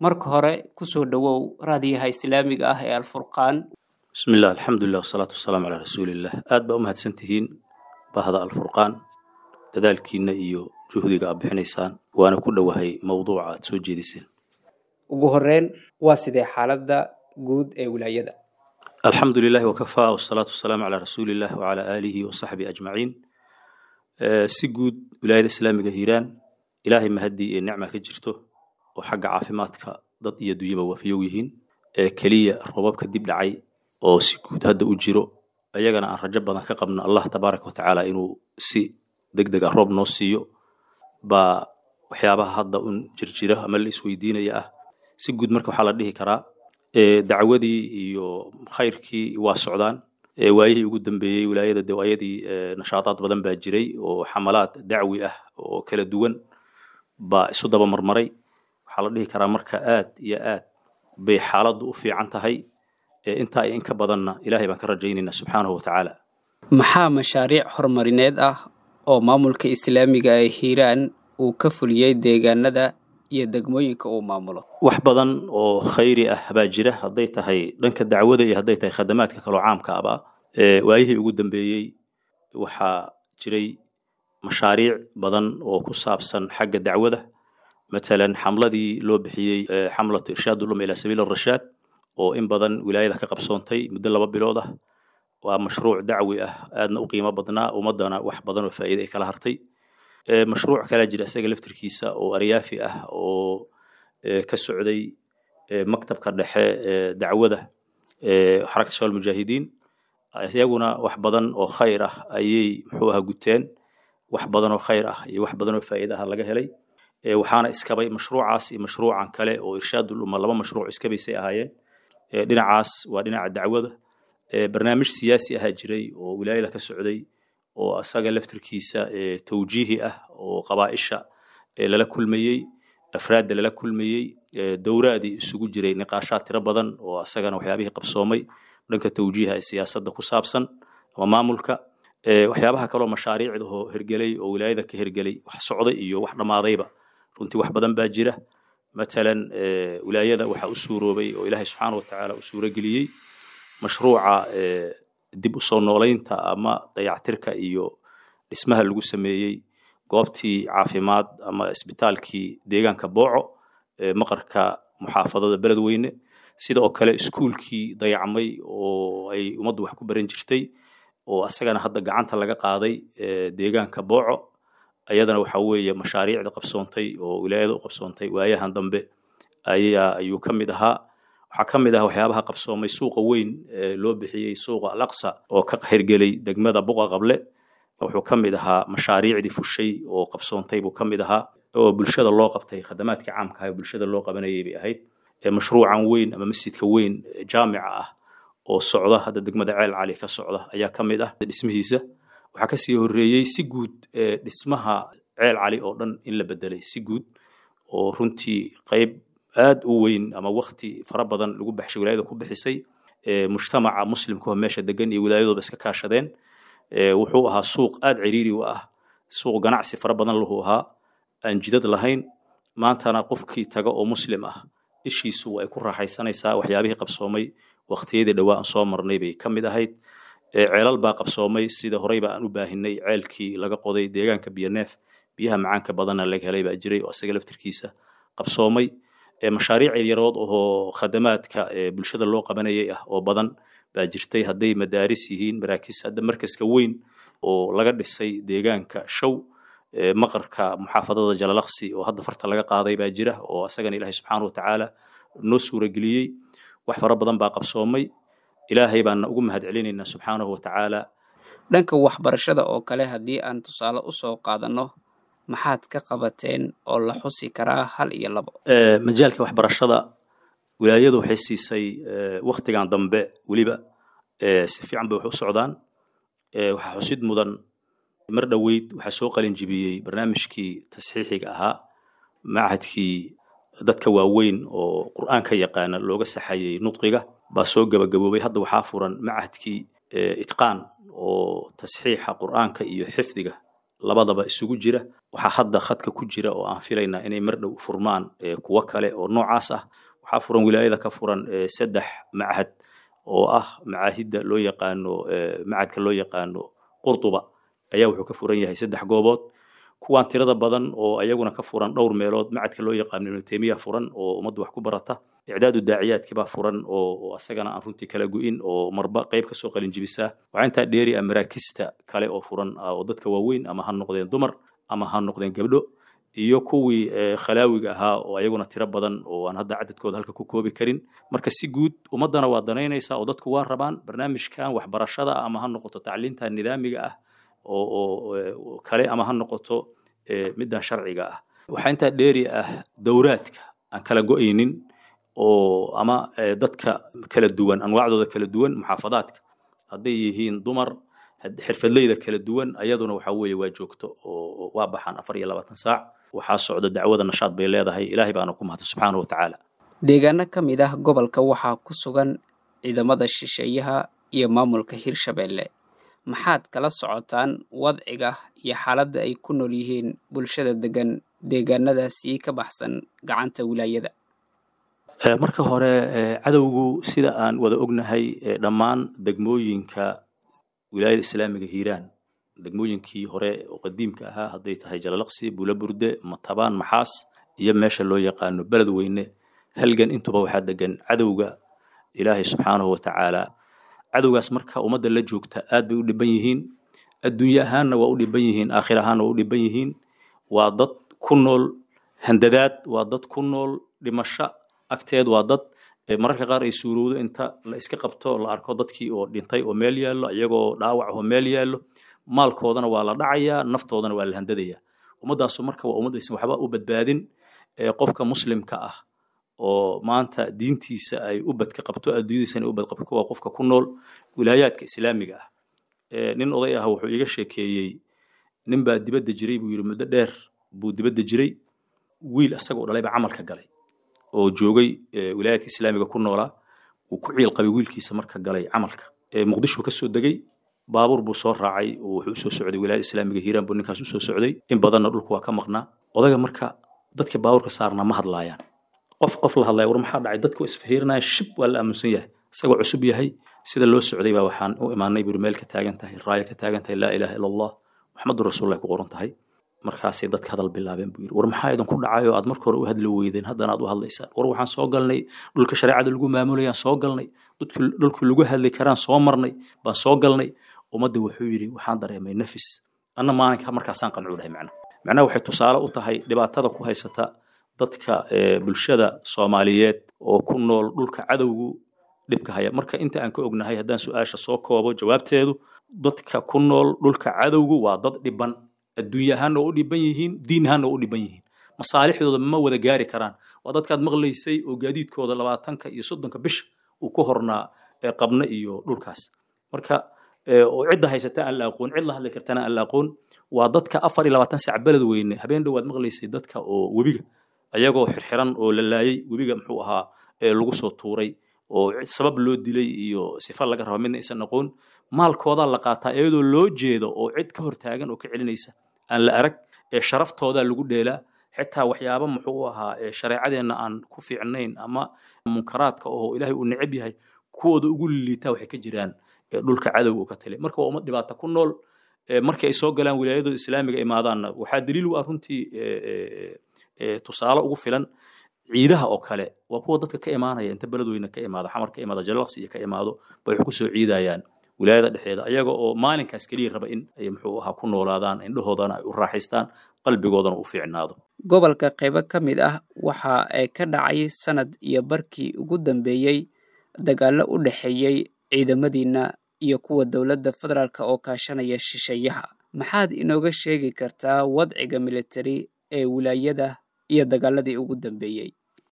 Marka hore kusoo dhowow raadiyaha islaamiga ah ee Alfurqaan. Bismi illah, alxamdulilah, wasalaatu wasalaamu calaa rasuuliillah. Aad baa u mahadsantihiin bahda Alfurqaan, dadaalkiina iyo juhdiga aad bixinaysaan, waana ku dhowahay mowduuca aad soo jeediseen. Ugu horeyn, waa sidee xaaladda guud ee wilaayada? Alxamdu lilahi wakafaa, wasalaatu wasalaamu calaa rasuuliillah wacalaa aalihi wasaxbihi ajmaciin. Si guud wilaayada islaamiga Hiiraan, Ilaahay mahadii ee nicma ka jirto oo xagga caafimaadka dad iyo dunyaba waafiyow yihiin. Ee keliya roobabka dib dhacay oo si guud hadda u jiro, ayagana aan rajo badan ka qabno Allah tabaaraka watacaala inuu si deg deg ah roob noo siiyo, baa waxyaabaha hadda un jirjira ama la isweydiinaya ah. Si guud marka waxaa la dhihi karaa dacwadii iyo khayrkii waa socdaan. Waayihii ugu dambeeyey wilaayada de ayadii nashaataad badan baa jiray oo xamalaad dacwi ah oo kala duwan baa isu daba marmaray. Waxaa la dhihi karaa marka aad iyo aad bay xaaladdu u fiican tahay. Intaa iyo in ka badanna Ilaahay baan ka rajaynaynaa subxaanahu watacaala. Maxaa mashaariic horumarineed ah oo maamulka islaamiga ee Hiiraan uu ka fuliyey deegaanada iyo degmooyinka uu maamulo? Wax badan oo khayri ah baa jira, hadday tahay dhanka dacwada iyo hadday tahay khadamaadka kaloo caamka aba. Waayihii ugu dambeeyey waxaa jiray mashaariic badan oo ku saabsan xagga dacwada, matalan xamladii loo bixiyey xamlatu irshaad ulum ilaa sabiil arashaad oo in badan wilaayada ka qabsoontay muddo 2 bilood ah. Waa mashruuc dacwi ah aadna u qiimo badnaa, ummadana wax badan oo faa'iide ay kala hartay. Mashruuc kalaa jira isaga laftirkiisa oo aryaafi ah oo ka socday maktabka dhexe ee dacwada xarakta shabaab mujaahidiin. Iyaguna wax badan oo khayr ah ayay muxuu ahaa guteen, wax badan oo khayr ah iyo wax badan oo faa'iide ah laga helay. Waxaana iskabay mashruucaas iyo mashruucan kale oo irshaadul umma, laba mashruuc iskabaysay ahaayeen. Dhinacaas waa dhinaca dacwada. Barnaamij siyaasi ahaa jiray oo wilaayada ka socday oo asaga laftirkiisa tawjiihi ah oo qabaa'isha lala kulmayey, afraadda lala kulmayey, dowraadii isugu jiray, niqaashaad tiro badan oo asagana waxyaabihii qabsoomay dhanka tawjiiha ee siyaasadda ku saabsan ama maamulka. Waxyaabaha kaloo mashaariicda oo hergelay oo wilaayada ka hergelay, wax socday iyo wax dhammaadayba, runtii wax badan baa jira. Matalan wilaayada waxaa u suuroobay oo Ilaahay subxaana watacaala u suurogeliyey mashruuca dib u soo noolaynta ama dayactirka iyo dhismaha lagu sameeyey goobtii caafimaad ama isbitaalkii deegaanka Booco ee maqarka muxaafadada Beledweyne, sida oo kale iskuulkii dayacmay oo ay ummaddu wax ku baran jirtay oo asagana hadda gacanta laga qaaday deegaanka Booco. Ayadana waxaa weeye mashaariicda qabsoontay oo wilaayada u qabsoontay waayahan dambe ayaa ayuu ka mid ahaa. Waxaa ka mid ah waxyaabaha qabsoomay suuqa weyn ee loo bixiyey suuqa Alaqsa oo ka hirgelay degmada Buqa Qable. Wuxuu ka mid ahaa mashaariicdii fushay oo qabsoontay buu ka mid ahaa oo bulshada loo qabtay, khadamaadka caamka ah ee bulshada loo qabanayay bay ahayd. Mashruucan weyn ama masjidka weyn jaamica ah oo socda hadda degmada Ceel Cali ka socda ayaa ka mid ah dhismihiisa. Waxaa kasii horreeyey si guud dhismaha Ceel Cali oo dhan in la bedelay si guud oo runtii qayb aad u weyn ama wakti fara badan lagu baxshay wilaayada ku bixisay, mujtamaca muslimka oo meesha degan iyo wilaayadooba iska kaashadeen. Wuxuu ahaa suuq aad ciriiri u ah, suuq ganacsi fara badan lahu ahaa, aan jidad lahayn. Maantana qofkii taga oo muslim ah ishiisu ay ku raaxaysanaysaa. Waxyaabihii qabsoomay waqtiyadii dhowaa aan soo marnay bay ka mid ahayd. Ceelal baa qabsoomay, sida horeyba aan u baahinay ceelkii laga qoday deegaanka Biyoneef, biyaha macaanka badanna laga helay baa jiray oo isaga laftirkiisa qabsoomay. Mashaariic yarood oo khadamaadka bulshada loo qabanayay ah oo badan baa jirtay, hadday madaaris yihiin, maraakiis, hadda markaska weyn oo laga dhisay deegaanka Show maqarka muxaafadada Jalalaqsi oo hadda farta laga qaaday baa jira oo asagana Ilaahay subxaana watacaala noo suurageliyey. Wax fara badan baa qabsoomay, Ilaahay baana ugu mahad celinaynaa subxaanahu watacaala. Dhanka waxbarashada oo kale, haddii aan tusaale usoo qaadanno, maxaad ka qabateen oo la xusi karaa, hal iyo labo? Majaalka waxbarashada wilaayadu waxay siisay waktigan dambe weliba si fiican bay wax u socdaan. Waxaa xusid mudan mar dhoweyd waxaa soo qalin jibiyey barnaamijkii tasxiixiga ahaa, machadkii dadka waaweyn oo qur'aanka yaqaana looga saxayey nudqiga baa soo gabagaboobay. Hadda waxaa furan machadkii Itqaan oo tasxiixa qur'aanka iyo xifdiga labadaba isugu jira. Waxaa hadda khadka ku jira oo aan filaynaa inay mar dhow furmaan kuwo kale oo noocaas ah. Waxaa furan wilaayada ka furan 3 machad oo ah macaahidda loo yaqaano, machadka loo yaqaano Qurtuba ayaa wuxuu ka furan yahay 3 goobood. Kuwaan tirada badan oo ayaguna ka furan dhowr meelood, machadka loo yaqaano Ibnu Taymiya furan oo ummaddu wax ku barata, icdaadu daaciyaadkii baa furan oo asagana aan runtii kala go'in oo marba qayb kasoo qalin jibisaa. Waxaa intaa dheeri ah maraakista kale oo furan oo dadka waaweyn ama ha noqdeen dumar ama ha noqdeen gabdho, iyo kuwii khalaawiga ahaa oo ayaguna tiro badan oo aan hadda cadadkooda halka ku koobi karin. Marka si guud ummaddana waa danaynaysaa oo dadku waa rabaan barnaamijkan waxbarashada, ama ha noqoto tacliinta nidaamiga ah oo kale ama ha noqoto middan sharciga ah. Waxaa intaa dheeri ah dowraadka aan kala go'aynin oo ama dadka kala duwan anwaacdooda kala duwan, muxaafadaadka hadday yihiin dumar, xirfadleyda kala duwan, ayaduna waxa weeye waa joogto oo waa baxaan 24 saac. Waxaa socda dacwada, nashaad bay leedahay, Ilaahay baana ku mahadsan subxaanahu watacaala. Deegaano ka mid ah gobolka waxaa ku sugan ciidamada shisheeyaha iyo maamulka Hirshabeelle. Maxaad kala socotaan wadciga iyo xaaladda ay ku nool yihiin bulshada degan deegaanadaasi ka baxsan gacanta wilaayada? Marka hore, cadowgu sida aan wada ognahay dhammaan degmooyinka wilaayada islaamiga Hiiraan, degmooyinkii hore oo qadiimka ahaa, hadday tahay Jalalaqsi, Buulaburde, Matabaan, Maxaas iyo meesha loo yaqaano Beledweyne, Halgan, intuba waxaa degan cadowga Ilaahay subxaanahu watacaala. Cadowgaas marka ummadda la joogta aad bay u dhiban yihiin, adduunye ahaanna waa u dhiban yihiin, aakhir ahaanna waa u dhiban yihiin. Waa dad ku nool handadaad, waa dad ku nool dhimasho agteed, waa dad mararka qaar ay suurowdo inta la iska qabto la arko dadkii oo dhintay oo meel yaallo, iyagoo dhaawac oo meel yaallo, maalkoodana waa la dhacayaa, naftoodana waa la handadayaa. Ummaddaasu marka waa ummad aysan waxba u badbaadin. Qofka muslimka ah oo maanta diintiisa ay u badka qabto, adduunyadiisana u badqabto, waa qofka ku nool wilaayaadka islaamiga ah. Nin oday ah wuxuu iiga sheekeeyey, nin baa dibadda jiray buu yidhi, muddo dheer buu dibadda jiray, wiil asagoo dhalay baa camalka galay oo joogay wilaayaadka islaamiga ku noolaa. Wuu ku ciil qabay wiilkiisa marka galay camalka. Muqdisho ka soo degay, baabuur buu soo raacay oo wuxuu usoo socday wilaayada islaamiga Hiiraan buu ninkaas usoo socday. In badanna dhulku waa ka maqnaa odaga. Marka dadka baabuurka saarnaa ma hadlaayaan, qof qof la hadlaya, war maxaa dhacay? Dadku isfihirinaya, shib waa la aaminsan yahay isagoo cusub yahay. Sida loo socday baa waxaan u imaanay buri meel ka taagan tahay raaya, ka taagan tahay laa ilaaha ila Allah Muxamadun rasuulullah ku qoran tahay. Markaasay dadka hadal bilaabeen buu yidhi, war maxaa idinku dhacay oo aad marka hore u hadli weydeen, haddana aad u hadlaysaan? War waxaan soo galnay dhulka shareecada lagu maamulayaan soo galnay, dhulkii lagu hadli karaan soo marnay baan soo galnay. Ummadda wuxuu yidhi waxaan dareemay nafis anna maalinka markaasaan qancuunahay. Macnaha waxay tusaale u tahay dhibaatada ku haysata dadka bulshada Soomaaliyeed oo ku nool dhulka cadowgu dhibka haya. Marka inta aan ka ognahay, haddaan su-aasha soo koobo jawaabteedu, dadka ku nool dhulka cadowgu waa dad dhiban, adduunye ahaanna waa u dhiban yihiin, diin ahaanna waa u dhiban yihiin, masaalixdooda ma wada gaari karaan. Waa dadkaad maqlaysay oo gaadiidkooda 20-ka iyo 30-ka bisha uu ku hornaa qabna iyo dhulkaas, marka oo cidda haysata aan la aqoon, cid la hadli kartana aan la aqoon. Waa dadka 24 sac Beledweyne habeen dhowaad maqlaysay dadka oo webiga ayagoo xirxiran oo la laayay, webiga muxuu ahaa lagu soo tuuray oo sabab loo dilay iyo sifa laga raba midna aysan aqoon. Maalkoodaa la qaataa iyadoo loo jeedo oo cid ka hortaagan oo ka celinaysa aan la arag. Sharaftoodaa lagu dheelaa, xitaa waxyaaba muxuu ahaa shareecadeenna aan ku fiicnayn ama munkaraadka oo Ilaahay uu neceb yahay kuwooda ugu liitaa waxay ka jiraan dhulka cadowga uu ka taliya. Marka waa ummad dhibaato ku nool. Markii ay soo galaan wilaayadooda islaamiga imaadaanna, waxaa daliil u ah runtii tusaale ugu filan ciidaha oo kale, waa kuwa dadka ka imaanaya inta Beledweyne ka imaado, Xamar ka imaado, Jalalaqsi iyo ka imaado bay wax kusoo ciidayaan wilaayada dhexdeeda, ayaga oo maalinkaas keliya raba in ay muxuu ahaa ku noolaadaan, indhahoodana ay u raaxaystaan, qalbigoodana u fiicnaado. Gobolka qaybo ka mid ah waxa ay ka dhacay sanad iyo barkii ugu dambeeyey dagaallo u dhexeeyey ciidamadiina iyo kuwa dowladda federaalk oo kaashanaya shisheeyaha. Maxaad inooga sheegi kartaa wadciga militari ee wilaayada iyo dagaaladii ugu dambeeyey?